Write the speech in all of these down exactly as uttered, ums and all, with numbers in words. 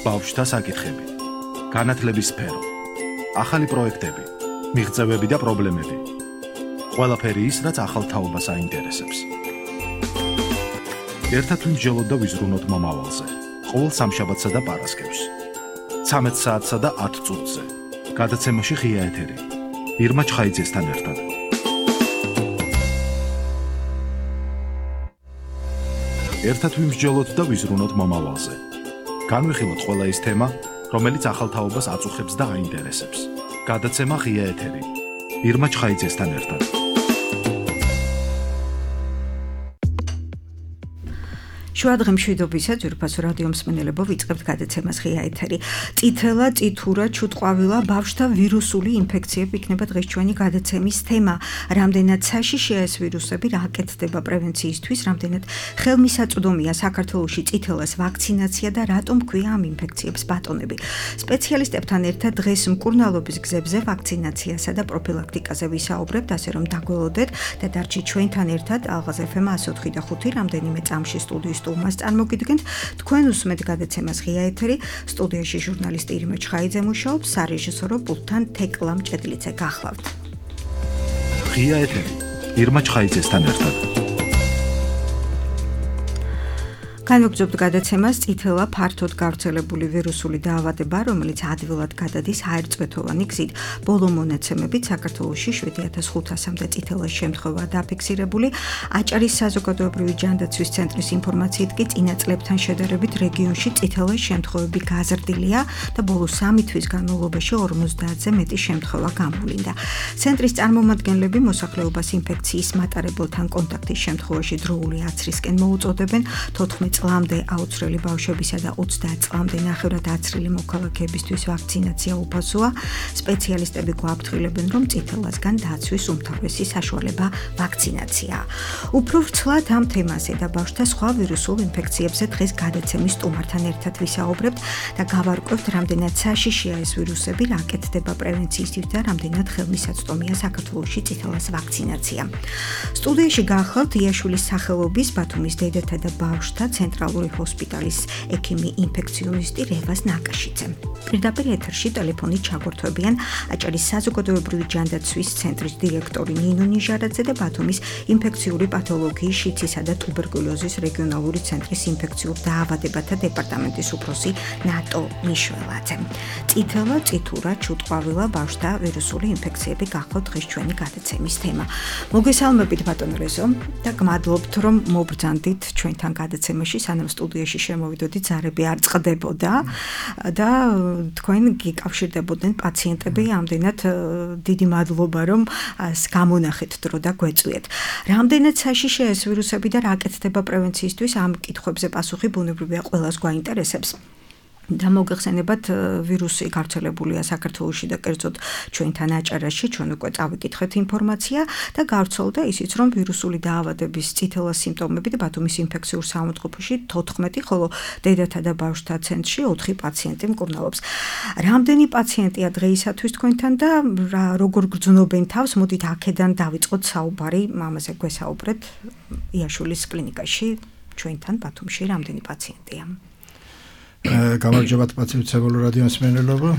ბავშვთა საკითხები, განათლების სფერო, ახალი პროექტები, მიღწევები და პრობლემები. ყველაფერი ის, რაც ახალ თაობას აინტერესებს. ერთად ვიმსჯელოთ და ვიზრუნოთ მომავალზე. ყოველ სამშაბათსა და პარასკევს. ცამეტ საათსა და ათ წუთზე. გადაცემაში ღია ეთერი. ირმა ჩხაიძესთან ერთად. ერთად ვიმსჯელოთ და ვიზრუნოთ მომავალზე. განვიხილოთ ყველა ის თემა, რომელიც ახალ თაობას აწუხებს და აინტერესებს. გადაცემა ღია ეთერი. ირმა ჩხაიძესთან ერთად. შუადღე მშვიდობისა ძვირფასო რადიო მსმენელებო, ვიწყებთ გადაცემას ღია ეთერი. წითელა, წითურა, ჩუტყვავილა, ბავშვთა ვირუსული ინფექციები იქნება დღეს ჩვენი გადაცემის თემა. რამდენად საშიშია ეს ვირუსები, რა აკეთდება პრევენციისთვის, რამდენად ხელმისაწვდომია საქართველოში წითელას ვაქცინაცია და რატომ ქვია ამ ინფექციებს ბატონები. სპეციალისტებთან ერთად დღეს მკურნალობის გზებზე ვაქცინაციასა და პროფილაქტიკაზე ვისაუბრებთ, ასე რომ დაგველოდეთ და დარჩით ჩვენთან ერთად. ალღაზ ეფ ემ ათი ოთხი და ხუთი რამდენიმე წამში სტუდიის სტუმარს წარმოგიდგენთ. თქვენ უსმენთ გადაცემას ღია ეთერი. სტუდიაში ჟურნალისტი ირმა ჩხაიძე მუშაობს, სარეჟისორო პულტთან თეკლა მჭედლიძე გახლავთ. ღია ეთერი. ირმა ჩხაიძესთან ერთად. განვაგრძობთ გადაცემას წითელა ფართოდ გავრცელებული ვირუსული დაავადება, რომელიც ადვილად გადადის აერწვეთოვანი გზით. ბოლო მონაცემებით საქართველოში შვიდი ათას ხუთასამდე წითელას შემთხვევაა დაფიქსირებული. აჭარის საზოგადოებრივი ჯანდაცვის ცენტრის ინფორმაციით კი წინა წლებთან შედარებით რეგიონში წითელას შემთხვევები გაზრდილია და ბოლო სამი თვის განმავლობაში ორმოცდაათზე მეტი შემთხვევა გამოვლინდა. ცენტრის წარმომადგენლები მოსახლეობას ინფექციის მატარებელთან კონტაქტის შემთხვევაში დროული აცრისკენ მოუწოდებენ. თოთხმეტ წლამდე აუცრელი ბავშვებისა და ოცდაათ წლამდე ნახევრად აცრილი მოქალაქეებისთვის ვაქცინაცია უფასოა. სპეციალისტები გვაფრთხილებენ, რომ წითელასგან დაცვის უმთავრესი საშუალება ვაქცინაციაა. უფრო ვრცლად ამ თემაზე და ბავშვთა სხვა ვირუსულ ინფექციებზე დღეს გადაცემის სტუმართან ერთად ვისაუბრებთ და გავარკვევთ, რამდენად საშიშია ეს ვირუსები, რა აკეთდება პრევენციისთვის და რამდენად ხელმისაწვდომია საქართველოში წითელას ვაქცინაცია. სტუდიაში გახლავთ იაშვილის სახელობის ბათუმის დედათა და ბავშვთა ცენტრალური ჰოსპიტალის ექიმი ინფექციონისტი რევაზ ნაკაშიძე. პირდაპირ ეთერში ტელეფონით ჩაგვერთვებიან აჭარის საზოგადოებრივი ჯანდაცვის ცენტრის დირექტორი ნინო ნიჟარაძე და ბათუმის ინფექციური პათოლოგიის, შიცისა და ტუბერკულოზის რეგიონალური ცენტრის ინფექციურ დაავადებათა დეპარტამენტის უფროსი ნატო მიშველაძე. წითელა, წითურა, ჩუტყვავილა, ბავშვთა ვირუსული ინფექციები გახლავთ დღეს ჩვენი გადაცემის თემა. მოგესალმებით ბატონო რეზო და გმადლობთ, რომ მობრძანდით ჩვენთან გადაცემაში. სანამ სტუდიაში შემოვიდოდი, ზარები არ წყდებოდა და თქვენ გიკავშირდებოდნენ პაციენტები, ამდენად დიდი მადლობა, რომ გამონახეთ დრო და გვეწვიეთ. რამდენად საშიშია ეს ვირუსები და რა აკეთდება პრევენციისთვის, ამ კითხვებზე პასუხი ბუნებრივია ყველას გვაინტერესებს. და მოგეხსენებათ, ვირუსი გავრცელებულია საქართველოში და კერძოდ ჩვენთან აჭარაში, ჩვენ უკვე წავიკითხეთ ინფორმაცია და გავრცელდა ისიც, რომ ვირუსული დაავადების წითელა სიმპტომებით ბათუმის ინფექციურ საავადმყოფოში თოთხმეტი, ხოლო დედათა და ბავშვთა ცენტრში ოთხი პაციენტი მკურნალობს. რამდენი პაციენტია დღეისათვის თქვენთან და როგორ გრძნობენ თავს? მოდით აქედან დავიწყოთ საუბარი, ამაზე გვესაუბრეთ. იაშვილის კლინიკაში ჩვენთან ბათუმში რამდენი პაციენტია? გამარჯობათ პაციენტებო რადიო მსმენელობა.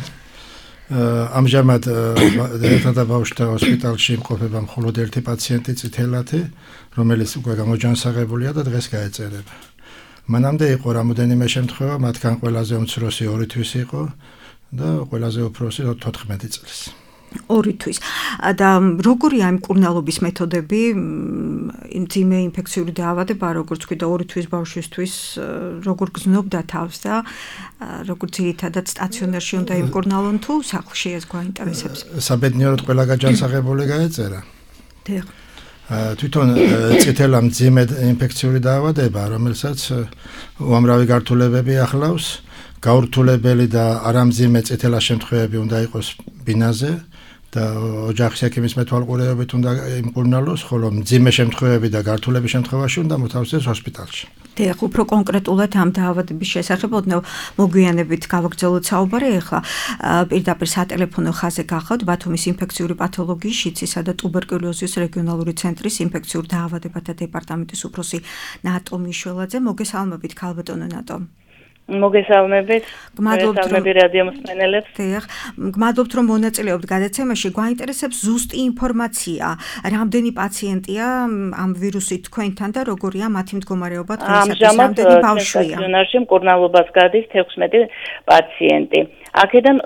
ამჟამად დედათა და ბავშვთა ჰოსპიტალში იმყოფება მხოლოდ ერთი პაციენტი წითელათი, რომელიც უკვე გამოჯანსაღებულია და დღეს გაეწერება. მანამდე იყო რამოდენიმე შემთხვევა, მათგან ყველაზე უმცროსი ორი თვის იყო და ყველაზე უფროსი თოთხმეტი წლის. ორი თვის. და როგორია ამ მკურნალობის მეთოდები? მძიმე ინფექციური დაავადება, როგორც ვთქვი და ორი თვის ბავშვისთვის როგორ გრძნობდა თავს და როგორ ძირითადად სტაციონარში უნდა იმკურნალონ თუ სახლში, ეს გვაინტერესებს. საბედნიეროდ ყველა გაჯანსაღებული გაეწერა. დიახ. თვითონ წითელა მძიმე ინფექციური დაავადება, რომელსაც უამრავი გართულებები ახლავს, გაურთულებელი და არამძიმე წითელა შემთხვევები უნდა იყოს ბინაზე და ოჯახის ექიმის მეთვალყურეობით უნდა იმკურნალოს, ხოლო მძიმე შემთხვევები და გართულების შემთხვევაში უნდა მოთავსდეს ჰოსპიტალში. დიახ, უფრო კონკრეტულად ამ დაავადების შესახებ ოდნავ მოგვიანებით გავაგრძელოთ საუბარი. ახლა პირდაპირ სატელეფონო ხაზზე გახავთ ბათუმის ინფექციური პათოლოგიის, შიცისა და ტუბერკულოზის რეგიონალური ცენტრის ინფექციურ დაავადებათა დეპარტამენტის უფროსი ნატო მიშველაძე. მოგესალმებით, ქალბატონო ნატო. მოგესალმებით. მოგესალმები რადიო მსმენელებს. დიახ, გმადლობთ რომ მონაწილეობთ გადაცემაში. გვაინტერესებს ზუსტი ინფორმაცია, რამდენი პაციენტია ამ ვირუსით თქვენთან და როგორია მათი მდგომარეობა დღეისათვის, რამდენი ბავშვია? სტაციონარში მკურნალობას გადის თექვსმეტი პაციენტი. აქედან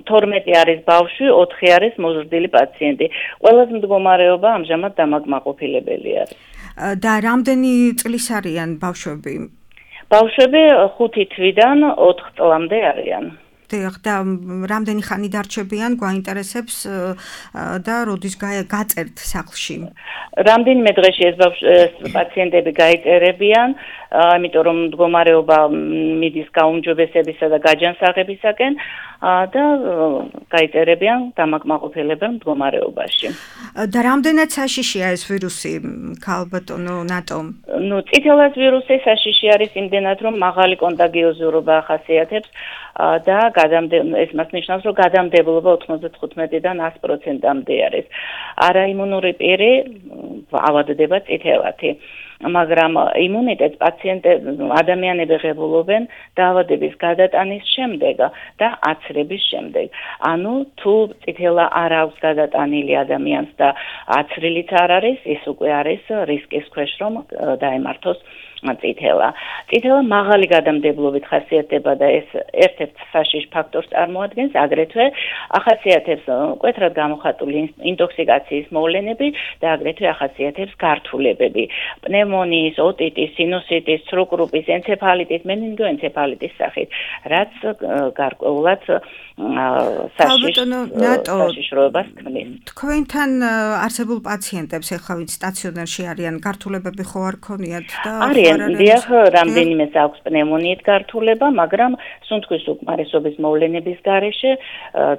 თორმეტი არის ბავშვი, ოთხი არის მოზრდილი პაციენტი. ყველაზე მდგომარეობა ამჟამად დამაკმაყოფილებელი არის. და რამდენი წლის არიან ბავშვები? ბავშვები ხუთი თვიდან ოთხ წლამდე არიან. დიახ, და რამდენი ხანი დარჩებიან, გვაინტერესებს და როდის გაწერთ სახლში? რამდენიმე დღეში ეს პაციენტები გაიწერებიან, იმიტომ რომ მდგომარეობა მიდის გაუმჯობესებისა და გაჯანსაღებისაკენ და გაიწერებიან დამაკმაყოფილებელ მდგომარეობაში. და რამდენად საშიშია ეს ვირუსი, ქალბატონო ნატო? ნუ წითელას ვირუსი საშიში არის იმდენად, რომ მაღალი კონტაგიოზურობა ახასიათებს და ეს მას ნიშნავს, რომ გადამდებლობა ოთხმოცდათხუთმეტიდან ას პროცენტამდე არის. არაიმუნური პირი ავადდება წითელათი. მაგრამ იმუნიტეტს პაციენტები ადამიანები ღებულობენ დაავადების გადატანის შემდეგ და აცრების შემდეგ. ანუ თუ წითელა არ აქვს გადატანილი ადამიანს და აცრილიც არ არის, ის უკვე არის რისკის ქვეშ, რომ დაემართოს წითელა. წითელა მაღალი გადამდებლობით ხასიათდება და ეს ერთ-ერთ საშიშ ფაქტორს წარმოადგენს, აგრეთვე ახასიათებს მკვეთრად გამოხატული ინტოქსიკაციის მოვლენები და აგრეთვე ახასიათებს გართულებები. პნევმონიის, ოტიტის, სინუსიტის, სრუკრუპის, ენცეფალიტის, მენინგოენცეფალიტის სახით, რაც გარკვეულად საშიშროებას ქმნის. თქვენთან არსებულ პაციენტებს ეხლა ვინც სტაციონარში არიან, გართულებები ხო არ ქონიათ და დიახ, რამდენიმეს აქვს პნევმონიით გართულება, მაგრამ სუნთქვის უკმარისობის მოვლენების გარეშე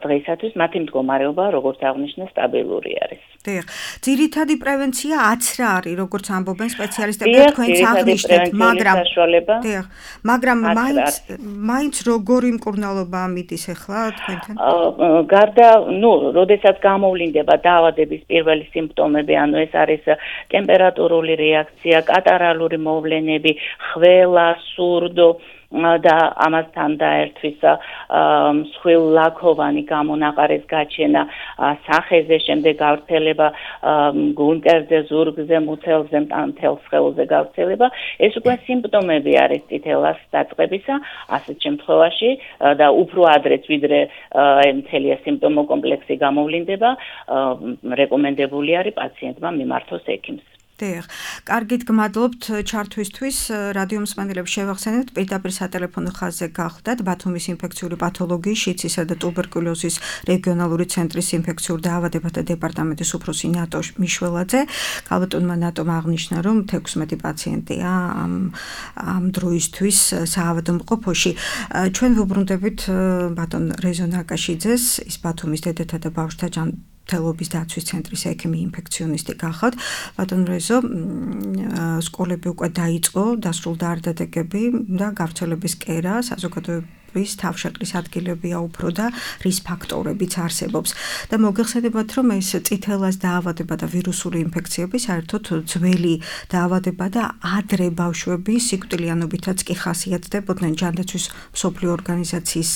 დღეისათვის მათი მდგომარეობა, როგორც აღნიშნე, სტაბილური არის. დიახ, ძირითადი პრევენცია აცრა არის, როგორც ამბობენ სპეციალისტები, თქვენც აღნიშნეთ, მაგრამ დიახ, მაგრამ მაინც მაინც როგორი მკურნალობა მიდის ეხლა თქვენთან? გარდა, ნუ, როდესაც გამოვლინდება დაავადების პირველი სიმპტომები, ანუ ეს არის ტემპერატურული რეაქცია, კატარალური მოვლენები, ხველა, სურდო და ამასთან დაერთვის მსხვილ ლაქოვანი გამონაყარის გაჩენა, სახეზე, შემდეგ გავრცელება გუნტერზე, ზურგზე, მუცელზე, მთელ სხეულზე გავრცელება, ეს უკვე სიმპტომები არის წითელას დაწყებისა, ასეთ შემთხვევაში და უფრო ადრეც ვიდრე მთელი სიმპტომო კომპლექსი გამოვლინდება, რეკომენდებული არის პაციენტმა მიმართოს ექიმს. დიახ, კარგით გმადლობთ ჩართვისთვის. რადიო მსმენელებს შევახსენებთ, პირდაპირ სატელეფონო ხაზზე გახლდათ ბათუმის ინფექციური პათოლოგიის, შიცისა და ტუბერკულოზის რეგიონალური ცენტრის ინფექციურ დაავადებათა დეპარტამენტის უფროსი ნატო მიშველაძე. ქალბატონმა ნატომ აღნიშნა, რომ თექვსმეტი პაციენტია ამ ამ დროისთვის საავადმყოფოში. ჩვენ ვუბრუნდებით ბატონ რეზო ნაკაშიძეს, ის ბათუმის დედათა და ბავშვთა თელობის დაცვის ცენტრის ექიმი ინფექციონისტი გახავთ. ბატონ რეზო, სკოლები უკვე დაიწყო, დასრულდა არდადეგები და გავრცელების კერა, საზოგადოების თავშეყრის ადგილებია უფრო და რის ფაქტორებიც არსებობს. და მოგეხსენებათ, რომ ეს წითელას დაავადება და ვირუსული ინფექციები საერთოდ ძველი დაავადება და ადრე ბავშვები სიკვდილიანობითაც კი ხასიათდებოდნენ. ჯანდაცვის მსოფლიო ორგანიზაციის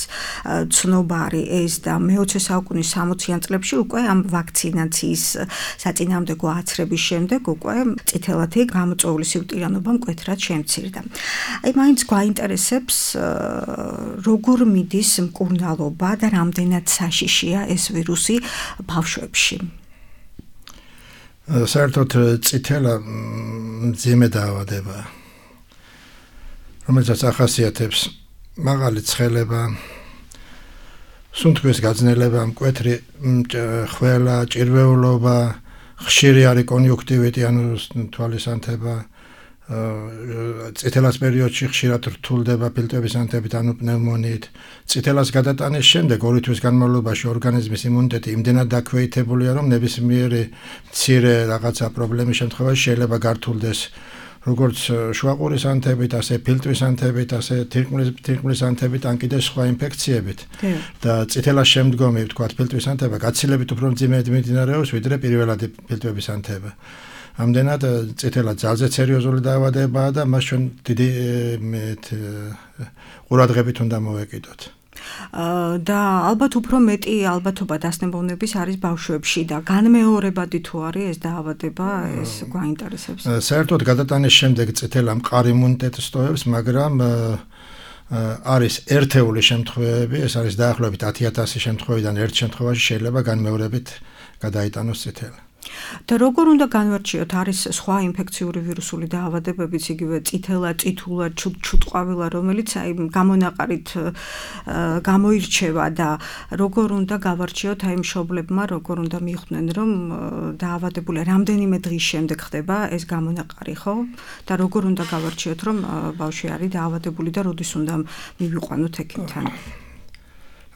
ცნობა არის ეს და მეოცე საუკუნის სამოციან წლებში უკვე ამ ვაქცინაციის საწინააღმდეგო აცრების შემდეგ უკვე წითელათი გამოწვეული სიკვდილიანობა მკვეთრად შემცირდა. აი მაინც გვაინტერესებს როგორ მიდის მკურნალობა და რამდენად საშიშია ეს ვირუსი ბავშვებში? საერთოდ წითელა მძიმე დაავადება, რომელსაც ახასიათებს მაღალი ცხელება, სუნთქვის გაძნელება, მკვეთრი ხველა, ჭირვეულობა, ხშირი არის კონიუნქტივიტი, ანუ თვალის ანთება, წითელას პერიოდში ხშირად რთულდება ფილტვების ანთებით, ანუ პნევმონიით. წითელას გადატანის შემდეგ ორი თვის განმავლობაში ორგანიზმის იმუნიტეტი იმდენად დაქვეითებულია, რომ ნებისმიერი მცირე რაღაცა პრობლემის შემთხვევაში შეიძლება გართულდეს როგორც შუაყურის ანთებით, ასე ფილტვის ანთებით, ასე თირკმლის ანთებით, ან კიდე სხვა ინფექციებით. და წითელას შემდგომი, ვთქვათ, ფილტვის ანთება გაცილებით უფრო მძიმედ მიმდინარეობს, ვიდრე პირველადი ფილტვების ანთება. ამდენად წითელად ძალზე სერიოზული დაავადებაა და მას ჩვენ დიდი ყურადღებით უნდა მოვეკიდოთ. და ალბათ უფრო მეტი ალბათობა დასნებოვნების არის ბავშვებში და განმეორებადი თუ არის ეს დაავადება, ეს გვაინტერესებს. საერთოდ გადატანის შემდეგ წითელა მყარ იმუნიტეტს ტოვებს, მაგრამ არის ერთეული შემთხვევები, ეს არის დაახლოებით ათი ათასი შემთხვევიდან ერთ შემთხვევაში შეიძლება განმეორებით გადაიტანოს წითელი. და როგორ უნდა განვარჩიოთ, არის სხვა ინფექციური ვირუსული დაავადებებიც, იგივე წითელა, წითულა, ჩუტყვავილა, რომელიც აი გამონაყარით გამოირჩევა და როგორ უნდა გავარჩიოთ აი მშობლებმა, როგორ უნდა მიხვდნენ, რომ დაავადებული რამდენიმე დღის შემდეგ ხდება ეს გამონაყარი, ხო? და როგორ უნდა გავარჩიოთ, რომ ბავშვი არის დაავადებული და როდის უნდა მივიყვანოთ ექიმთან?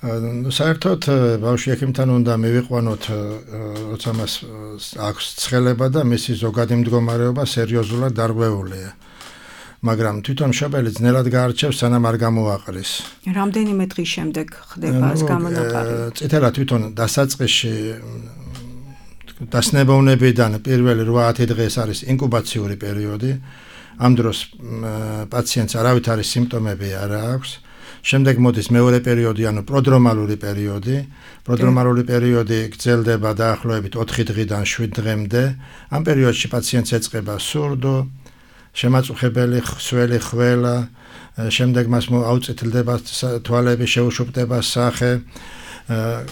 საერთოდ ბავშვი ექიმთან უნდა მივიყვანოთ, როცა მას აქვს ცხელება და მისი ზოგადი მდგომარეობა სერიოზულად დარღვეულია. მაგრამ თვითონ მშობელი ძნელად გაარჩევს, სანამ არ გამოაყრის. რამდენიმე დღის შემდეგ ხდება ეს გამონაყარი? წითელა თვითონ დასაწყისში დასნებოვნებიდან პირველი რვა-ათი დღეს არის ინკუბაციური პერიოდი. ამ დროს პაციენტს არავითარი სიმპტომები არ აქვს. შემდეგ მოდის მეორე პერიოდი, ანუ პროდრომალური პერიოდი. პროდრომალური პერიოდი გრძელდება დაახლოებით ოთხი დღიდან შვიდ დღემდე. ამ პერიოდში პაციენტს ეწყება სურდო, შემაწუხებელი ხსველი ხველა, შემდეგ მას აუწითლდება თვალები, შეუშუპდება სახე.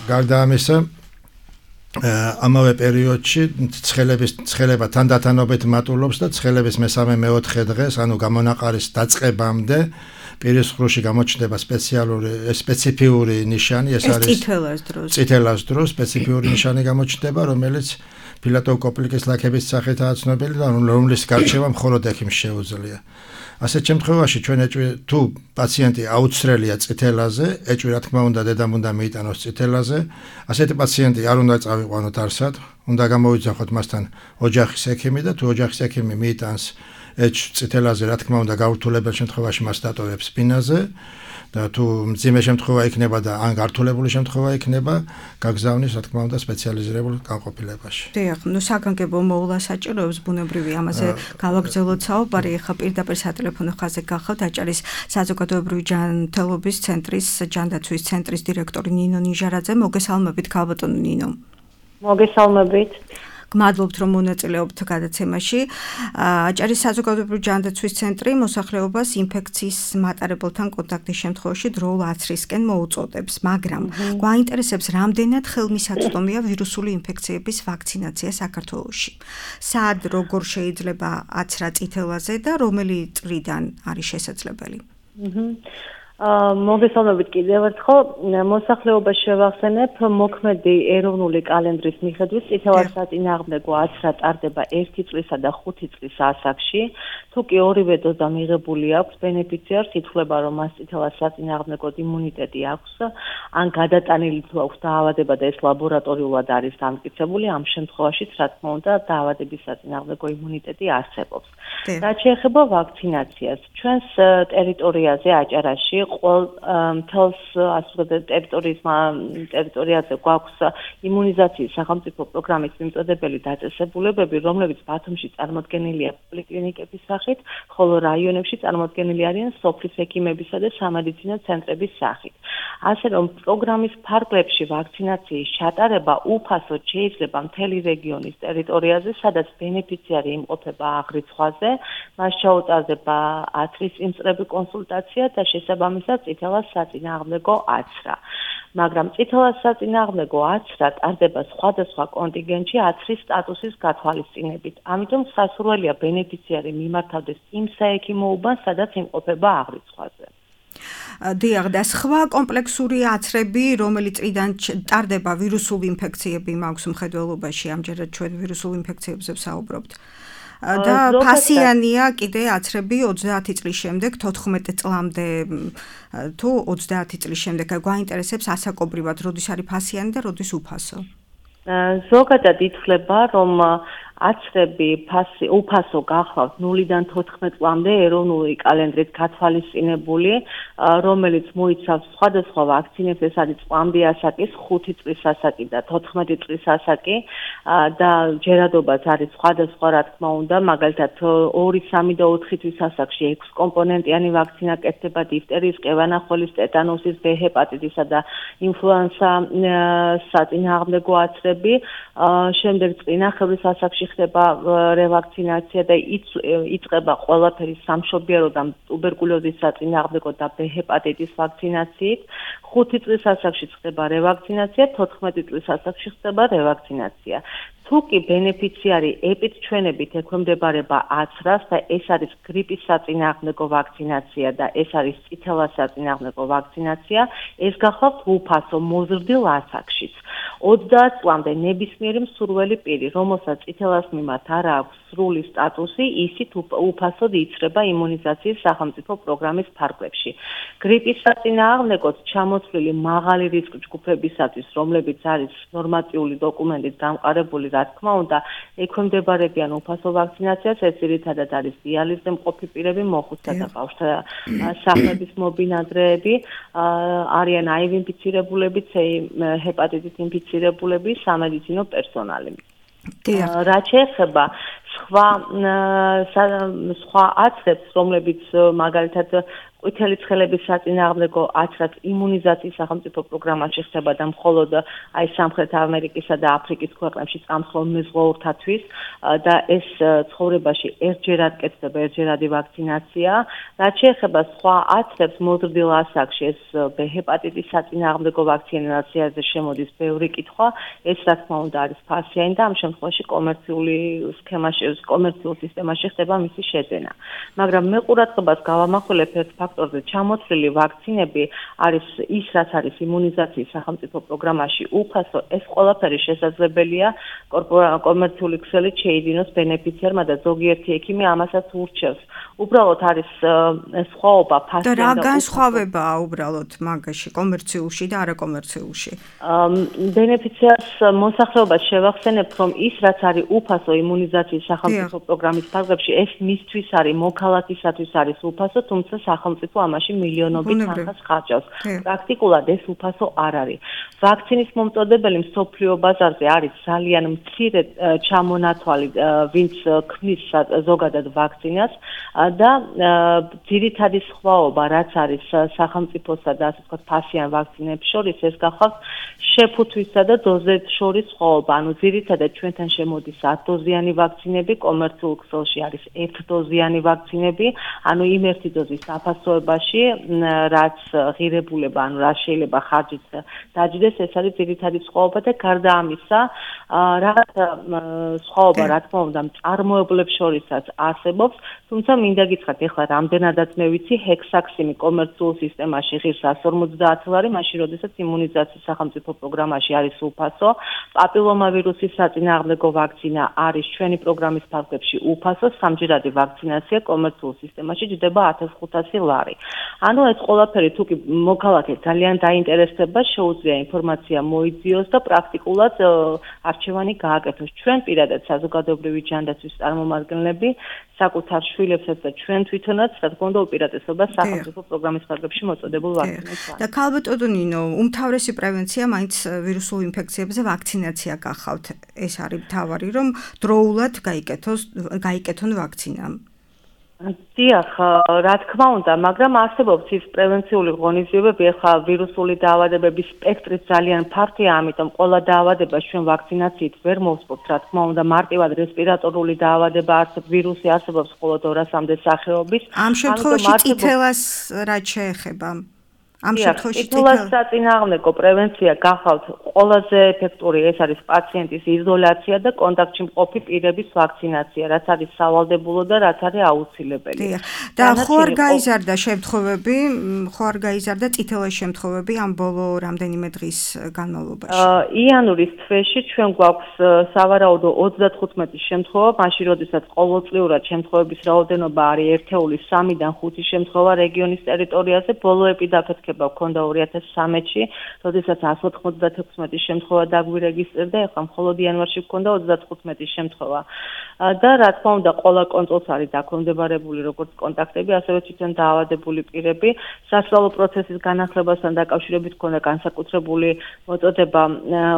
გარდა ამისა, ამავე პერიოდში ცხელების ცხელება თანდათანობით მატულობს და ცხელების მესამე მეოთხე დღეს, ანუ გამონაყარის დაწყებამდე პირის ღრუში გამოჩნდება სპეციალური სპეციფიური ნიშანი, ეს არის წითელას დროს. წითელას დროს სპეციფიური ნიშანი გამოჩნდება, რომელიც ფილატოვკოპლიკის ლაქების სახითაა ცნობილი და რომლის გარჩევა მხოლოდ ექიმს შეუძლია. ასეთ შემთხვევაში ჩვენ თუ პაციენტი აუცრელია წითელაზე, ეჭვი რა თქმა უნდა დედამ უნდა მიიტანოს წითელაზე, ასეთი პაციენტი არ უნდა წავიყვანოთ არსად, უნდა გამოვიძახოთ მასთან ოჯახის ექიმი და თუ ოჯახის ექიმი მიიტანს ეჭვს წითელაზე, რა თქმა უნდა გაურთულებელ შემთხვევაში მას დატოვებს სპინაზე და თუ მძიმე შემთხვევა იქნება და ან გართულებული შემთხვევა იქნება, გაგზავნის რა თქმა უნდა სპეციალიზირებულ განყოფილებაში. დიახ, ნუ საგანგებო მოვლა საჭიროებს ბუნებრივი ამაზე გავაგრძელოთ საუბარი. ახლა პირდაპირ სატელეფონო ხაზზე გახავთ აჭარის საზოგადოებრივი ჯანმრთელობის ცენტრის ჯანდაცვის ცენტრის დირექტორი ნინო ნიჟარაძე. მოგესალმებით, ქალბატონო ნინო. მოგესალმებით. გმადლობთ, რომ მონაწილეობთ გადაცემაში. აჭარის საზოგადოებრივი ჯანდაცვის ცენტრი მოსახლეობას ინფექციის მატარებელთან კონტაქტის შემთხვევაში დროულ აცრისკენ მოუწოდებს, მაგრამ გვაინტერესებს, რამდენად ხელმისაწვდომია ვირუსული ინფექციების ვაქცინაცია საქართველოში. სად, როგორ შეიძლება აცრა წითელაზე და რომელი წრიდან არის შესაძლებელი? მოგესალმებით კიდევ ერთხელ. მოსახლეობას შევახსენებ, მოქმედი ეროვნული კალენდრის მიხედვით წითელას საწინააღმდეგო აცრა ტარდება ერთი წლისა და ხუთი წლის ასაკში. თუ კი ორივე დოზა მიღებული აქვს, ბენეფიციარს ითვლება, რომ მას წითელას საწინააღმდეგო იმუნიტეტი აქვს, ან გადატანილი თუ აქვს დაავადება და ეს ლაბორატორიულად არის დამტკიცებული, ამ შემთხვევაშიც რა თქმა უნდა დაავადების საწინააღმდეგო იმუნიტეტი არსებობს. რაც შეეხება ვაქცინაციას, ჩვენს ტერიტორიაზე აჭარაში ყოველ მთელს ასე ვთქვათ ტერიტორიის ტერიტორიაზე გვაქვს იმუნიზაციის სახელმწიფო პროგრამის მიმწოდებელი დაწესებულებები, რომლებიც ბათუმში წარმოდგენილია პოლიკლინიკების სახით, ხოლო რაიონებში წარმოდგენილი არიან სოფლის ექიმებისა და სამედიცინო ცენტრების სახით. ასე რომ პროგრამის ფარგლებში ვაქცინაციის ჩატარება უფასოდ შეიძლება მთელი რეგიონის ტერიტორიაზე, სადაც ბენეფიციარი იმყოფება აღრიცხვაზე, მას ჩაუტარდება აცრის იმწრები კონსულტაცია და შესაბამისად წითელას საწინააღმდეგო აცრა. მაგრამ წითელას საწინააღმდეგო აცრა ტარდება სხვადასხვა კონტინგენტში აცრის სტატუსის გათვალისწინებით. ამიტომ სასურველია ბენეფიციარი მიმართავდეს იმ საექიმო უბანს, სადაც იმყოფება აღრიცხვაზე. დიახ, და სხვა კომპლექსური აცრები, რომელი წრიდან ტარდება ვირუსული ინფექციები მაქვს მხედველობაში, ამჯერად ჩვენ ვირუსულ ინფექციებზე ვსაუბრობთ. და ფასიანია კიდე აცრები ოცდაათი წლის შემდეგ, თოთხმეტ წლამდე თუ ოცდაათი წლის შემდეგ. გვაინტერესებს ასაკობრივად, როდის არის ფასიანი და როდის უფასო? ზოგადად ითვლება, რომ აცრები ფასი უფასო გახლავთ ნულიდან თოთხმეტ წლამდე ეროვნული კალენდრით გათვალისწინებული, რომელიც მოიცავს სხვადასხვა ვაქცინებს, ეს არის წლამდე ასაკის, ხუთი წლის ასაკი და თოთხმეტი წლის ასაკი და ჯერადობაც არის სხვადასხვა, რა თქმა უნდა, მაგალითად ორი, სამი და ოთხი თვის ასაკში ექვს კომპონენტიანი ვაქცინა კეთდება დიფტერიის, ყევანახევის, ტეტანუსის, ბ ჰეპატიტისა და ინფლუენსა საწინააღმდეგო აცრები, შემდეგ წინახევრის ასაკში ხდება რევაქცინაცია და იწყება ყველაფერი სამშობიარო და ტუბერკულოზის საწინააღმდეგო და ბ ჰეპატიტის ვაქცინაციით, ხუთი წლის ასაკში ხდება რევაქცინაცია, თოთხმეტი წლის ასაკში ხდება რევაქცინაცია. თუ კი ბენეფიციარი ეპიდჩვენებით ექვემდებარება აცრას და ეს არის გრიპის საწინააღმდეგო ვაქცინაცია და ეს არის წითელას საწინააღმდეგო ვაქცინაცია, ეს გახლავთ უფასო მოზრდილ ასაკშიც. ოცდაათ წლამდე ნებისმიერი მსურველი პირი, რომელსაც წითელას მიმართ არ აქვს სრული სტატუსი, ისიც უფასოდ იცრება იმუნიზაციის სახელმწიფო პროგრამის ფარგლებში. გრიპის საწინააღმდეგოდ ჩამოთვლილი მაღალი რისკ ჯგუფებისათვის, რომლებიც არის ნორმატიული დოკუმენტით დამყარებული, რა თქმა უნდა, ექვემდებარებიან უფასო ვაქცინაციას, ეს ძირითადად არის დიალიზზე მყოფი პირები, მოხუცთა და ბავშვთა სახლების მობინადრეები, არიან აი ვი ინფიცირებულები, ცე ჰეპატიტით ინფიცირებულები, სამედიცინო პერსონალი. რაც შეეხება სხვა სხვა აცრებს, რომლებიც მაგალითად ყვითელი ცხელების საწინააღმდეგო აცრაც იმუნიზაციის სახელმწიფო პროგრამაში ხდება და მხოლოდ აი სამხრეთ ამერიკისა და აფრიკის ქვეყნებში წამსხოლ მეზღვაურთათვის და ეს ცხოვრებაში ერთჯერად კეთდება ერთჯერადი ვაქცინაცია. რაც შეეხება სხვა აცრებს მოზრდილ ასაკში, ეს ბ ჰეპატიტის საწინააღმდეგო ვაქცინაციაზე შემოდის ბევრი კითხვა, ეს რა თქმა უნდა არის ფასიანი და ამ შემთხვევაში კომერციული სქემაში, კომერციულ სისტემაში ხდება მისი შეძენა. მაგრამ მე ყურადღებას გავამახვილებ ერთ ფაქტორზე, ჩამოთვლილი ვაქცინები არის ის, რაც არის იმუნიზაციის სახელმწიფო პროგრამაში უფასო, ეს ყველაფერი შესაძლებელია კომერციული ქსელით შეიძინოს ბენეფიციარმა და ზოგიერთი ექიმი ამასაც ურჩევს. უბრალოდ არის სხვაობა ფასიანი და რა განსხვავებაა უბრალოდ მაგაში კომერციულში და არაკომერციულში? ბენეფიციარს მოსახლეობას შევახსენებთ, რომ ის, რაც არის უფასო იმუნიზაციის სახელმწიფო პროგრამის ფარგლებში, ეს მისთვის არის, მოქალაქისათვის არის უფასო, თუმცა სახელმწიფო ამაში მილიონობით თანხას ხარჯავს. პრაქტიკულად ეს უფასო არ არის. ვაქცინის მომწოდებელი მსოფლიო ბაზარზე არის ძალიან მცირე ჩამონათვალი, ვინც ქმნის ზოგადად ვაქცინას და ძირითადი სხვაობა, რაც არის სახელმწიფოსა და ასე ვთქვათ ფასიან ვაქცინებს შორის, ეს გახლავთ შეფუთვისა და დოზებს შორის სხვაობა. ანუ ძირითადად ჩვენთან შემოდის ათდოზიანი ვაქცინები, კომერციულ ქსელში არის ერთდოზიანი ვაქცინები, ანუ იმ ერთი დოზის საფასოებაში, რაც ღირებულება, ანუ რა შეიძლება ხარჯით დაჯდეს, ეს არის ძირითადი სხვაობა და გარდა ამისა, რაღაც სხვაობა, რა თქმა უნდა, მწარმოებლებს შორისაც არსებობს, თუმცა მინდა გითხრათ, ეხლა რამდენადაც მე ვიცი, ჰექსაქსიმი კომერციულ სისტემაში ღირს ასი ორმოცდაათი ლარი, მაშინ როდესაც იმუნიზაციის სახელმწიფო პროგრამაში არის უფასო, პაპილომავირუსის საწინააღმდეგო ვაქცინა არის ჩვენი პროგრამის ფარგლებში უფასო, სამჯერადი ვაქცინაცია კომერციულ სისტემაში ჯდება ათას ხუთასი ლარი. ანუ ეს ყველაფერი თუ კი მოქალაქეს ძალიან დაინტერესდება, შეუძლია ინფორმაცია მოიძიოს და პრაქტიკულად არჩევანი გააკეთოს. ჩვენ პირადად საზოგადოებრივი ჯანდაცვის წარმომადგენლები საკუთარ შვილებსაც და ჩვენ თვითონაც, რა თქმა უნდა, უპირატესობა სახელმწიფო პროგრამის ფარგლებში მოწოდებულ ვაქცინებს. და ქალბატონო ნინო, უმთავრესი პრევენცია მაინც ვირუსულ ინფექციებზე ვაქცინაცია გახავთ. ეს არის მთავარი, რომ დროულად გაიკეთოს, გაიკეთონ ვაქცინა. დიახ, რა თქმა უნდა, მაგრამ არსებობს ის პრევენციული ღონისძიებები, ახლა ვირუსული დაავადებების სპექტრი ძალიან ფართოა, ამიტომ ყველა დაავადებას ჩვენ ვაქცინაციით ვერ მოვსპობთ, რა თქმა უნდა, მარტივად რესპირატორული დაავადება არსებობს, ვირუსი არსებობს მხოლოდ ორასამდე სახეობის. ამ შემთხვევაში წითელას რაც შეეხება? ამ შემთხვევაში წითელას საწინააღმდეგო პრევენცია გახავთ ყველაზე ეფექტური, ეს არის პაციენტის იზოლაცია და კონტაქტში მყოფი პირების ვაქცინაცია, რაც არის სავალდებულო და რაც არის აუცილებელი. და ხო არ გაიზარდა შემთხვევები, ხო არ გაიზარდა წითელას შემთხვევები ამ ბოლო რამდენიმე დღის განმავლობაში? იანვრის თვეში ჩვენ გვაქვს სავარაუდო ოცდათხუთმეტი შემთხვევა, მაშინ როდესაც ყოველწლიურად შემთხვევების რაოდენობა არის ერთეულის სამიდან ხუთი შემთხვევა რეგიონის ტერიტორიაზე, ბოლო ეპიდაფეთქე აფიქსირება ჰქონდა ორი ათას სამი-ში, როდესაც εκατს ოთხმოცდათექვსმეტი შემთხვევა დაგვირეგისტრირდა, ეხლა მხოლოდ იანვარში ჰქონდა ოცდათხუთმეტი შემთხვევა. და რა თქმა უნდა, ყველა კონტროლს არის დაქვემდებარებული როგორც კონტაქტები, ასევე თვითონ დაავადებული პირები. საშუალო პროცესის განახლებასთან დაკავშირებით ჰქონდა განსაკუთრებული მოწოდება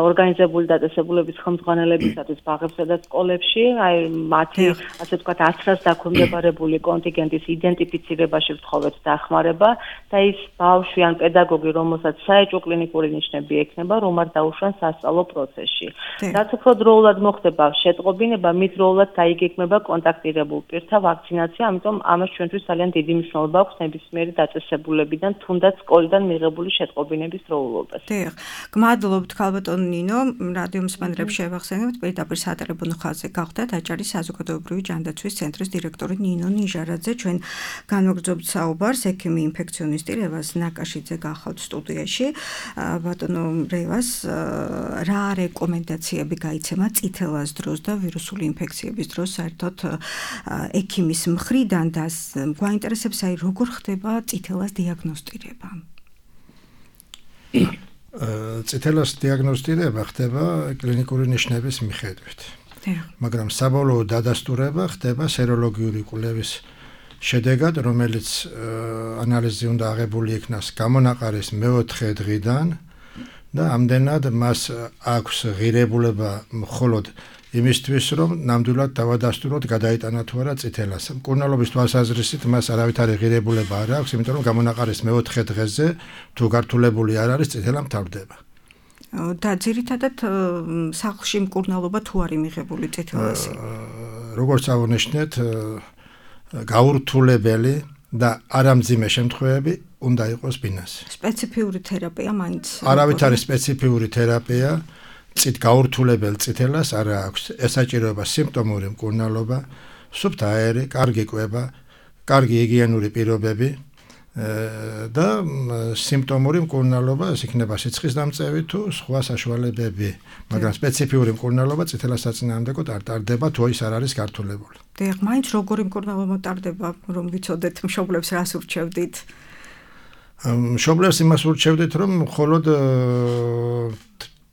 ორგანიზებული დაწესებულების ხელმძღვანელებისათვის ბაღებსა და სკოლებში, აი მათი ასე ვთქვათ ათრას დაქვემდებარებული კონტინგენტის იდენტიფიცირებაში ვთხოვეთ დახმარება და ის ბავშვი ან პედაგოგი, რომელსაც საეჭვო კლინიკური ნიშნები ექნება, რომ არ დაუშვან სასწავლო პროცესში. რაც უფრო დროულად მოხდება შეტყობინება, მით დროულად დაიგეგმება კონტაქტირებულ პირთა ვაქცინაცია, ამიტომ ამას ჩვენთვის ძალიან დიდი მნიშვნელობა აქვს ნებისმიერი დაწესებულებიდან, თუნდაც სკოლიდან მიღებული შეტყობინების დროულობას. დიახ, გმადლობთ ქალბატონ ნინო, რადიო მსმენელებს შევახსენებთ, პირდაპირ სატელეფონო ხაზზე გახდათ აჭარის საზოგადოებრივი ჯანდაცვის ცენტრის დირექტორი ნინო ნიჟარაძე, ჩვენ განვაგრძობთ საუბარს ექიმი ინფექციონისტი რევაზ ნაკაშიძე გახავთ სტუდიაში. ბატონო რევაზ, რა რეკომენდაციები გაიცემა წითელას დროს და ვირუსული ინფექციების დროს საერთოდ ექიმის მხრიდან და გვაინტერესებს აი როგორ ხდება წითელას დიაგნოსტირება? წითელას დიაგნოსტირება ხდება კლინიკური ნიშნების მიხედვით. მაგრამ საბოლოო დადასტურება ხდება სეროლოგიური კვლევის შედეგად, რომელიც ანალიზი უნდა აღებული იქნას გამონაყარის მეოთხე დღიდან და ამდენად მას აქვს ღირებულება მხოლოდ იმისთვის, რომ ნამდვილად დავადასტუროთ გადაიტანა თუ არა წითელას. მკურნალობის თვალსაზრისით მას არავითარი ღირებულება არ აქვს, იმიტომ რომ გამონაყარის მეოთხე დღეზე თუ გართულებული არ არის, წითელა მთავრდება. და ძირითადად სახლში მკურნალობა თუ არის მიღებული წითელასი? როგორც აღნიშნეთ, გაურთულებელი და არამძიმე შემთხვევები უნდა იყოს ბინასი. სპეციფიური თერაპია მაინც? არავითარი სპეციფიური თერაპია წით გაურთულებელ წითელას არ აქვს. ესაჭიროება სიმპტომური მკურნალობა, სუფთა აერი, კარგი კვება, კარგი ჰიგიენური პირობები და სიმპტომური მკურნალობა, ეს იქნება სიცხის დამწევი თუ სხვა საშუალებები, მაგრამ სპეციფიური მკურნალობა წითელას საწინააღმდეგოდ არ ტარდება, თუ ის არ არის გართულებული. დიახ, მაინც როგორი მკურნალობა ტარდება, რომ ვიცოდეთ მშობლებს რას ურჩევდით? მშობლებს იმას ურჩევდით, რომ მხოლოდ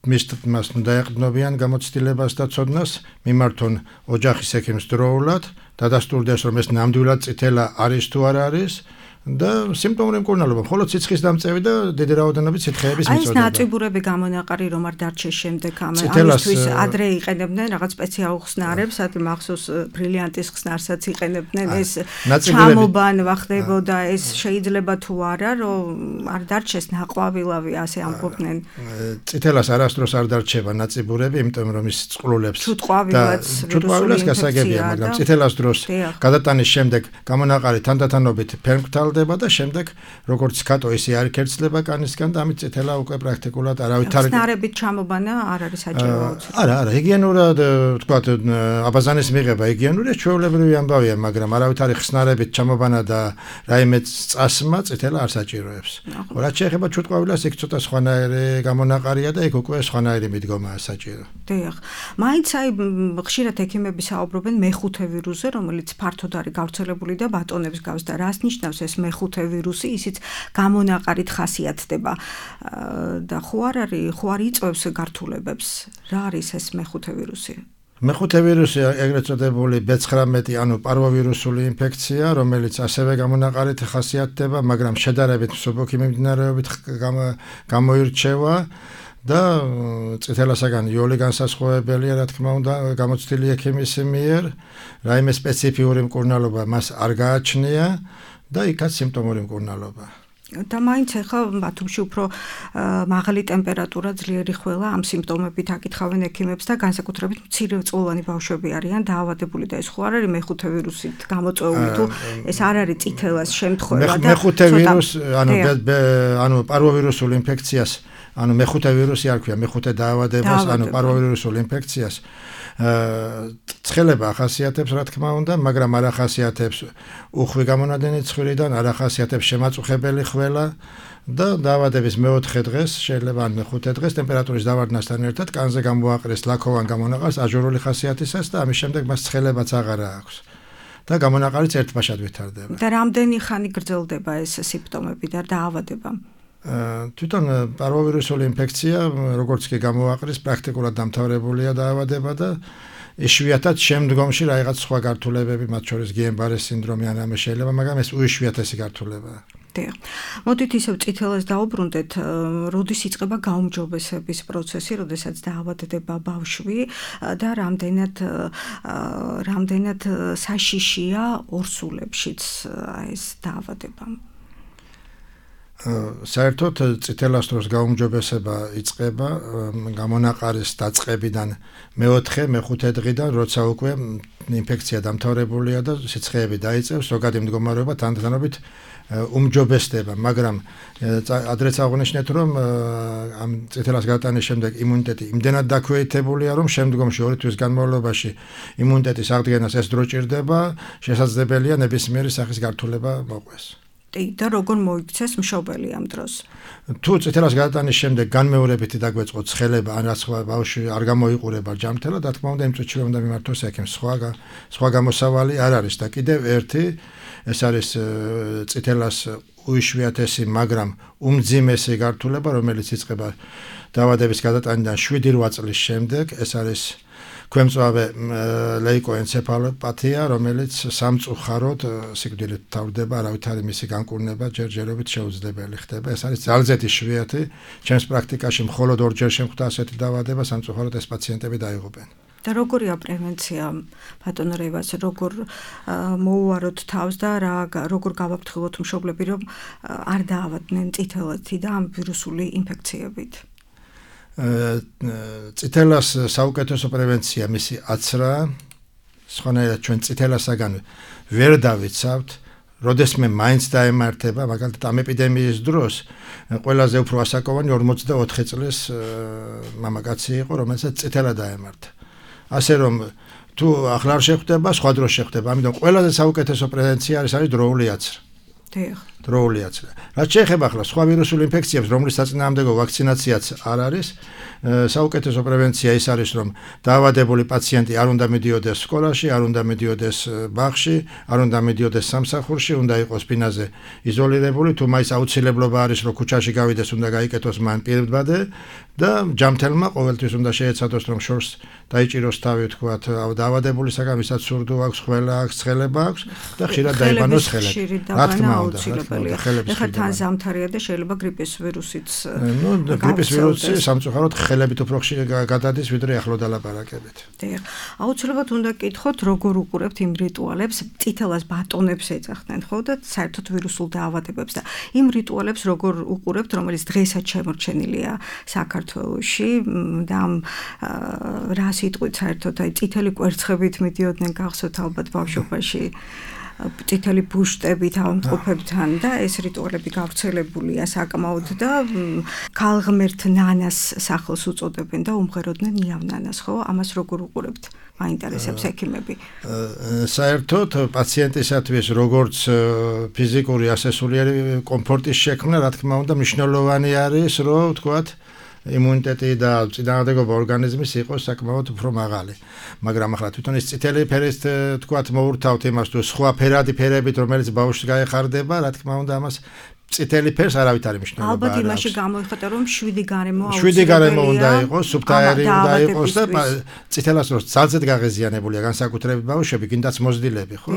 მას დაეყრდნობიან გამოცდილებას და ცოდნას, მიმართონ ოჯახის ექიმს დროულად, დადასტურდეს, რომ ეს ნამდვილად წითელა არის თუ არ არის და სიმპტომური მკურნალობა, მხოლოდ სიცხის დამწევი და დიდი რაოდენობით სითხეების მიწოდება. აი ეს ნაწიბურები გამონაყარი რომ არ დარჩეს შემდეგ ამისთვის ადრე იყენებდნენ რაღაც სპეციალურ ხსნარებს, ადრე მახსოვს ბრილიანტის ხსნარსაც იყენებდნენ, ეს ჩამობანვა ხდებოდა, ეს შეიძლება თუ არა, რომ არ დარჩეს ნაყვავილავი, ასე ამბობდნენ. წითელას არასდროს არ დარჩება ნაწიბურები, იმიტომ რომ ის წყლულებს და ჩუტყვავილას გასაგებია, მაგრამ წითელას დროს გადატანის შემდეგ გამონაყარი თანდათანობით ფერმკრთალდება და შემდეგ როგორც კატო ისე არ ქერცლება კანისგან და ამით წითელა უკვე პრაქტიკულად არავითარი ხსნარებით ჩამობანა არ არის საჭირო აუცილებლად. არა, არა, ჰიგიენურად თქვათ აბაზანის მიღება ჰიგიენური ჩვეულებრივი ამბავია, მაგრამ არავითარი ხსნარებით ჩამობანა და რაიმე წასმა წითელა არ საჭიროებს. ხო, რაც შეეხება ჩუტყვავილას, იქ ცოტა სხვანაირი გამონაყარია და იქ უკვე სხვანაირი მიდგომაა საჭირო. დიახ. მაინც აი ხშირად ექიმები საუბრობენ მეხუთე ვირუსზე, რომელიც ფართოდ არის გავრცელებული და ბატონებს გავს და რას ნიშნავს ეს მეხუთე ვირუსი, ისიც გამონაყარით ხასიათდება და ხო არ არის, ხო არ იწვევს გართულებებს. რა არის ეს მეხუთე ვირუსი? მეხუთე ვირუსი ეგრეთ წოდებული ბე ცხრამეტი, ანუ პარვოვირუსული ინფექცია, რომელიც ასევე გამონაყარით ხასიათდება, მაგრამ შედარებით მსუბუქი მიმდინარეობით გამოირჩევა და წითელასაგან იოლი განსასხვავებელია, რა თქმა უნდა, გამოცდილი ექიმის მიერ, რაიმე სპეციფიური მკურნალობა მას არ გააჩნია და იქაც სიმპტომური მკურნალობა. და მაინც ახლა ბათუმში უფრო მაღალი ტემპერატურა, ძლიერი ხველა, ამ სიმპტომებით აკითხავენ ექიმებს და განსაკუთრებით მცირეწლოვანი ბავშვები არიან დაავადებული და ეს ხო არ არის მეხუთე ვირუსით გამოწვეული თუ ეს არ არის წითელას შემთხვევა და მეხუთე ვირუს, ანუ ანუ პარვოვირუსული ინფექციას, ანუ მეხუთე ვირუსი არ ქვია, მეხუთე დაავადებას, ანუ პარვოვირუსულ ინფექციას ცხელება ახასიათებს, რა თქმა უნდა, მაგრამ არ ახასიათებს უხვი გამონადენი ცხვირიდან, არ ახასიათებს შემაწუხებელი ხველა და დაავადების მეოთხე დღეს, შეიძლება ან მეხუთე დღეს ტემპერატურის დავარდნასთან ერთად კანზე გამოაყრეს ლაქოვან გამონაყარს აჟურული ხასიათისას და ამის შემდეგ მას ცხელებაც აღარა აქვს. და გამონაყარიც ერთბაშად ვითარდება. და რამდენი ხანი გრძელდება ეს სიმპტომები და დაავადება? თვითონ პარვოვირუსული ინფექცია, როგორც კი გამოაყრის, პრაქტიკულად დამთავრებულია დაავადება და იშვიათად შემდგომში რაღაც სხვა გართულებები, მათ შორის გიენ-ბარის სინდრომი ან ამას შეიძლება, მაგრამ ეს უიშვიათესი გართულებაა. დიახ. მოდით ისევ წითელას დაუბრუნდეთ, როდის იწყება გაუმჯობესების პროცესი, როდესაც დაავადდება ბავშვი და რამდენად რამდენად საშიშია ორსულებშიც ეს დაავადება. საერთოდ წითელას დროს გაუმჯობესება იწყება გამონაყარის დაწყებიდან მეოთხე, მეხუთე დღიდან, როცა უკვე ინფექცია დამთავრებულია და სიცხეები დაიწევს, ზოგადი მდგომარეობა თანდათანობით უმჯობესდება, მაგრამ ადრეც აღნიშნეთ, რომ ამ წითელას გადატანის შემდეგ იმუნიტეტი იმდენად დაქვეითებულია, რომ შემდგომში ორი თვის განმავლობაში იმუნიტეტის აღდგენას ეს დრო ჭირდება, შესაძლებელია ნებისმიერი სახის გართულება მოყვეს. და როგორ მოიქცეს მშობელი ამ დროს? თუ წითელას გადატანის შემდეგ განმეორებით დაგვეწყო ცხელება, ან რაც სხვა ბავშვი არ გამოიყურება ჯამთელად, რა თქმა უნდა იმ წუთში უნდა მიმართოს ექიმს. სხვა სხვა გამოსავალი არ არის და კიდევ ერთი ეს არის წითელას უიშვიათესი, მაგრამ უმძიმესი გართულება, რომელიც იწყება დაავადების გადატანიდან შვიდი რვა წლის შემდეგ, ეს არის ქვემწვავე ლეიკოენცეფალოპათია, რომელიც სამწუხაროდ სიკვდილით თავდება, არავითარი მისი განკურნება ჯერჯერობით შეუძლებელი ხდება. ეს არის ძალზედ იშვიათი, ჩემს პრაქტიკაში მხოლოდ ორჯერ შემხვდა ასეთი დაავადება, სამწუხაროდ ეს პაციენტები დაიღუპნენ. და როგორია პრევენცია, ბატონო რევას, როგორ მოუვაროთ თავს და რა როგორ გავაფრთხილოთ მშობლები, რომ არ დაავადდნენ წითელათი და ამ ვირუსული ინფექციებით? წითელას საუკეთესო პრევენცია მისი აცრაა, სხვანაირად ჩვენ წითელასაგან ვერ დავიცავთ, როდესმე მაინც დაემართება, მაგალითად ამ ეპიდემიის დროს ყველაზე უფრო ასაკოვანი ორმოცდაოთხი წლის მამაკაცი იყო, რომელსაც წითელა დაემართა. ასე რომ თუ ახლა არ შეხვდება, სხვა დროს შეხვდება, ამიტომ ყველაზე საუკეთესო პრევენცია არის არის დროული აცრა. დიახ. დროული აცრა. რაც შეეხება ახლა სხვა ვირუსულ ინფექციებს, რომლის საწინააღმდეგო ვაქცინაციაც არ არის, საუკეთესო პრევენცია ის არის, რომ დაავადებული პაციენტი არ უნდა მიდიოდეს სკოლაში, არ უნდა მიდიოდეს ბაღში, არ უნდა მიდიოდეს სამსახურში, უნდა იყოს ბინაზე იზოლირებული, თუ მაინც აუცილებლობა არის, რომ ქუჩაში გავიდეს, უნდა გაიკეთოს მან პირბადე და ჯამთელმა ყოველთვის უნდა შეეცადოს, რომ შორს დაიჭიროს თავი, თქვათ, დაავადებულისაგან, ვისაც სურდო აქვს, ხველა აქვს, ცხელება აქვს და ხშირად დაიბანოს ხელები. რა თქმა უნდა, ეხლა თან ზამთარია და შეიძლება გრიპის ვირუსიც ნუ გრიპის ვირუსი სამწუხაროდ ხელებით უფრო ხშირად გადადის, ვიდრე ახლო დალაპარაკებით. დიახ. აუცილებლად უნდა გკითხოთ, როგორ უყურებთ იმ რიტუალებს, წითელას ბატონებს ეძახდნენ, ხო და საერთოდ ვირუსულ დაავადებებს და იმ რიტუალებს როგორ უყურებთ, რომელიც დღესაც შემორჩენილია საქართველოში და ამ რა სიტყვით საერთოდ აი წითელი კვერცხებით მიდიოდნენ გახსოვთ ალბათ ბავშვობაში. წითელი ბუშტებით ავამტყოფებთან და ეს რიტუალები გავრცელებულია საკმაოდ და ქალღმერთ ნანას სახელს უწოდებენ და უმღეროდნენ ნიავ ნანას, ხო? ამას როგორ უყურებთ? მაინტერესებს ექიმები. საერთოდ პაციენტისათვის როგორც ფიზიკური ასე სულიერი კომფორტის შექმნა, რა თქმა უნდა, მნიშვნელოვანი არის, რომ ვთქვათ იმუნიტეტი და წინააღმდეგობა ორგანიზმის იყოს საკმაოდ უფრო მაღალი. მაგრამ ახლა თვითონ ის წითელი ფერით თქვათ მოურთავთ იმას თუ სხვა ფერადი ფერებით რომელიც ბავშვს გაეხარდება, რა თქმა უნდა ამას წითელი ფერს არავითარი მნიშვნელობა არ აქვს. ალბათ იმაში გამოიხატა რომ შვიდი გარემო აუცილებელია. შვიდი გარემო უნდა იყოს, სუბტაერი უნდა იყოს და წითელას დროს ძალზედ გაღეზიანებულია განსაკუთრებით ბავშვები, კიდაც მოზრდილები, ხო?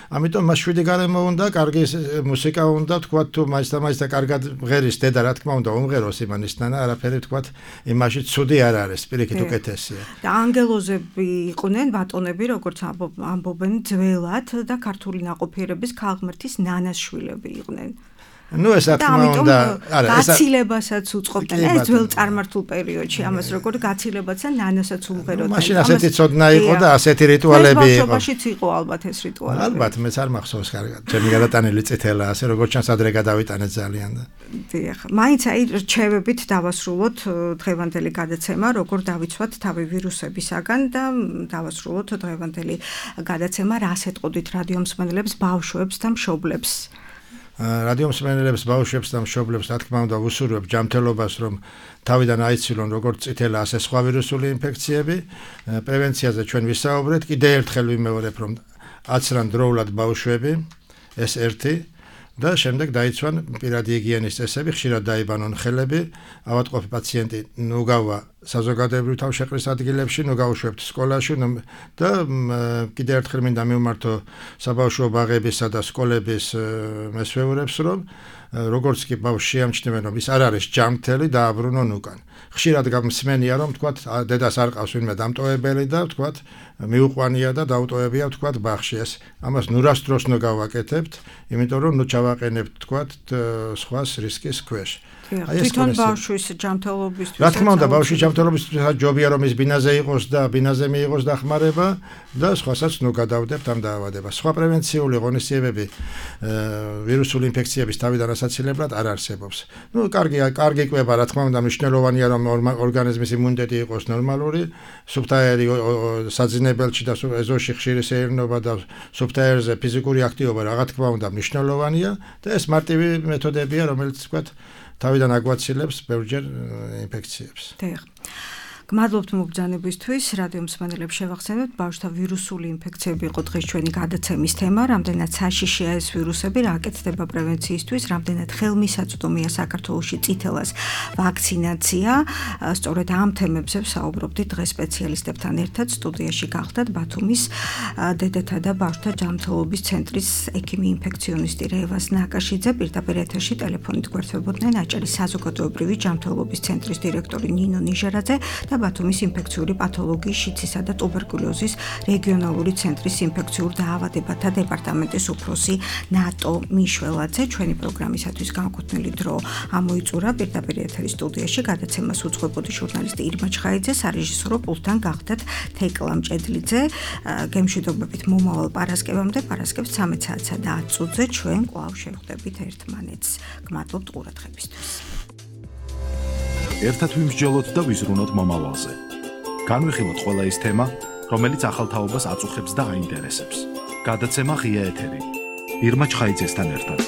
ამიტომ მას შვიდი გარემო უნდა, კარგი მუსიკა უნდა, თქვათ თუ მაინც და მაინც და კარგად მღერის დედა, რა თქმა უნდა, უმღეროს იმანისთან, არაფერი თქვათ იმაში ცუდი არ არის, პირიქით უკეთესია. და ანგელოზები იყვნენ ბატონები, როგორც ამბობენ ძველად და ქართული ნაყოფიერების ქალღმერთის ნანას შვილები იყვნენ. ნუ ეს რა თქმა უნდა, არა, ეს გაცილებასაც უწყობდნენ ეს ძველ წარმართულ პერიოდში, ამას როგორ გაცილებაც და ნანასაც უმღეროდნენ. მაშინ ასეთი ცოდნა იყო და ასეთი რიტუალები იყო. ბავშვობაშიც იყო ალბათ ეს რიტუალები. ალბათ, მეც არ მახსოვს კარგად. ჩემი გადატანილი წითელა, ასე როგორც ჩანს ადრე გადავიტანეთ ძალიან და. დიახ, მაინც აი რჩევებით დავასრულოთ დღევანდელი გადაცემა, როგორ დავიცვათ თავი ვირუსებისაგან და დავასრულოთ დღევანდელი გადაცემა, რას ეტყოდით რადიო მსმენელებს, ბავშვებს და მშობლებს. რადიო მსმენელებს, ბავშვებს და მშობლებს, რა თქმა უნდა, ვუსურვებ ჯანმრთელობას, რომ თავიდან აიცილონ როგორც წითელა, ასე სხვა ვირუსული ინფექციები. პრევენციაზე ჩვენ ვისაუბრეთ, კიდევ ერთხელ ვიმეორებ, რომ აცრან დროულად ბავშვები, ეს ერთი. და შემდეგ დაიცვან პირადი ჰიგიენის წესები, ხშირად დაიბანონ ხელები, ავადმყოფი პაციენტი ნუ გავა საზოგადოებრივ თავშეყრის ადგილებში, ნუ გაუშვებთ სკოლაში და კიდე ერთხელ მინდა მივმართო საბავშვო ბაღებისა და სკოლების მესვეურებს, რომ როგორც კი ბავშვი შეამჩნევენ, რომ ის არ არის ჯანმრთელი, დააბრუნონ უკან. ხშირად გამსმენია, რომ თქვათ დედას არ ყავს ვინმე დამტოვებელი და თქვათ მიუყვანია და დაუტოვებია თქვათ ბაღში. ეს ამას ნურას დროს ნუ გავაკეთებთ, იმიტომ რომ ნუ ჩავაყენებთ თქვათ სხვას რისკის ქვეშ. თვითონ ბავშვის ჯანმრთელობისთვის. რა თქმა უნდა, ბავშვის ჯანმრთელობისთვის ჯობია რომ ის ბინაზე იყოს და ბინაზე მიიღოს დახმარება და სხვასაც ნუ გადავდებთ ამ დაავადებას. სხვა პრევენციული ღონისძიებები ვირუსული ინფექციების თავიდან ასაცილებლად არ არსებობს. ნუ კარგი კარგი კვება, რა თქმა უნდა, მნიშვნელოვანია რომ ორგანიზმის იმუნიტეტი იყოს ნორმალური, სუფთაერი საძინებელში და ეზოში ხშირი სეირნობა და სუფთაერზე ფიზიკური აქტივობა რა თქმა უნდა მნიშვნელოვანია და ეს მარტივი მეთოდებია, რომელიც თქვათ თავიდან აგვაცილებს ბევრჯერ ინფექციებს. დიახ. გმადლობთ მობრძანებისთვის, რადიო მსმენელებს შევახსენებთ, ბავშვთა ვირუსული ინფექციები იყო დღეს ჩვენი გადაცემის თემა, რამდენად საშიშია ეს ვირუსები, რა აკეთდება პრევენციისთვის, რამდენად ხელმისაწვდომია საქართველოში წითელას ვაქცინაცია. სწორედ ამ თემებზე ვსაუბრობდით დღეს სპეციალისტებთან ერთად. სტუდიაში გახლდათ ბათუმის დედათა და ბავშვთა ჯანმრთელობის ცენტრის ექიმი ინფექციონისტი რევას ნაკაშიძე, პირდაპირ ეთერში ტელეფონით გვერდთვებოდნენ აჭარის საზოგადოებრივი ჯანმრთელობის ცენტრის დირექტორი ნინო ნიჟარაძე და ბათუმის ინფექციური პათოლოგიის, შიცისა და ტუბერკულოზის რეგიონალური ცენტრის ინფექციურ დაავადებათა დეპარტამენტის უფროსი ნატო მიშველაძე. ჩვენი პროგრამისათვის განკუთვნილი დრო ამოიწურა. პირდაპირ ეთერის სტუდიაში გადაცემას უძღვებოდი ჟურნალისტი ირმა ჩხაიძე, სარეჟისორო პულტთან გახლდათ თეკლა მჭედლიძე. გემშვიდობებით მომავალ პარასკევამდე, პარასკევს ცამეტ საათსა და ათ წუთზე ჩვენ კვლავ შევხვდებით ერთმანეთს. გმადლობთ ყურადღებისთვის. ერთად ვიმსჯელოთ და ვიზრუნოთ მომავალზე. განვიხილოთ ყველა ის თემა, რომელიც ახალ თაობას აწუხებს და აინტერესებს. გადაცემა ღია ეთერი. ირმა ჩხაიძესთან ერთად.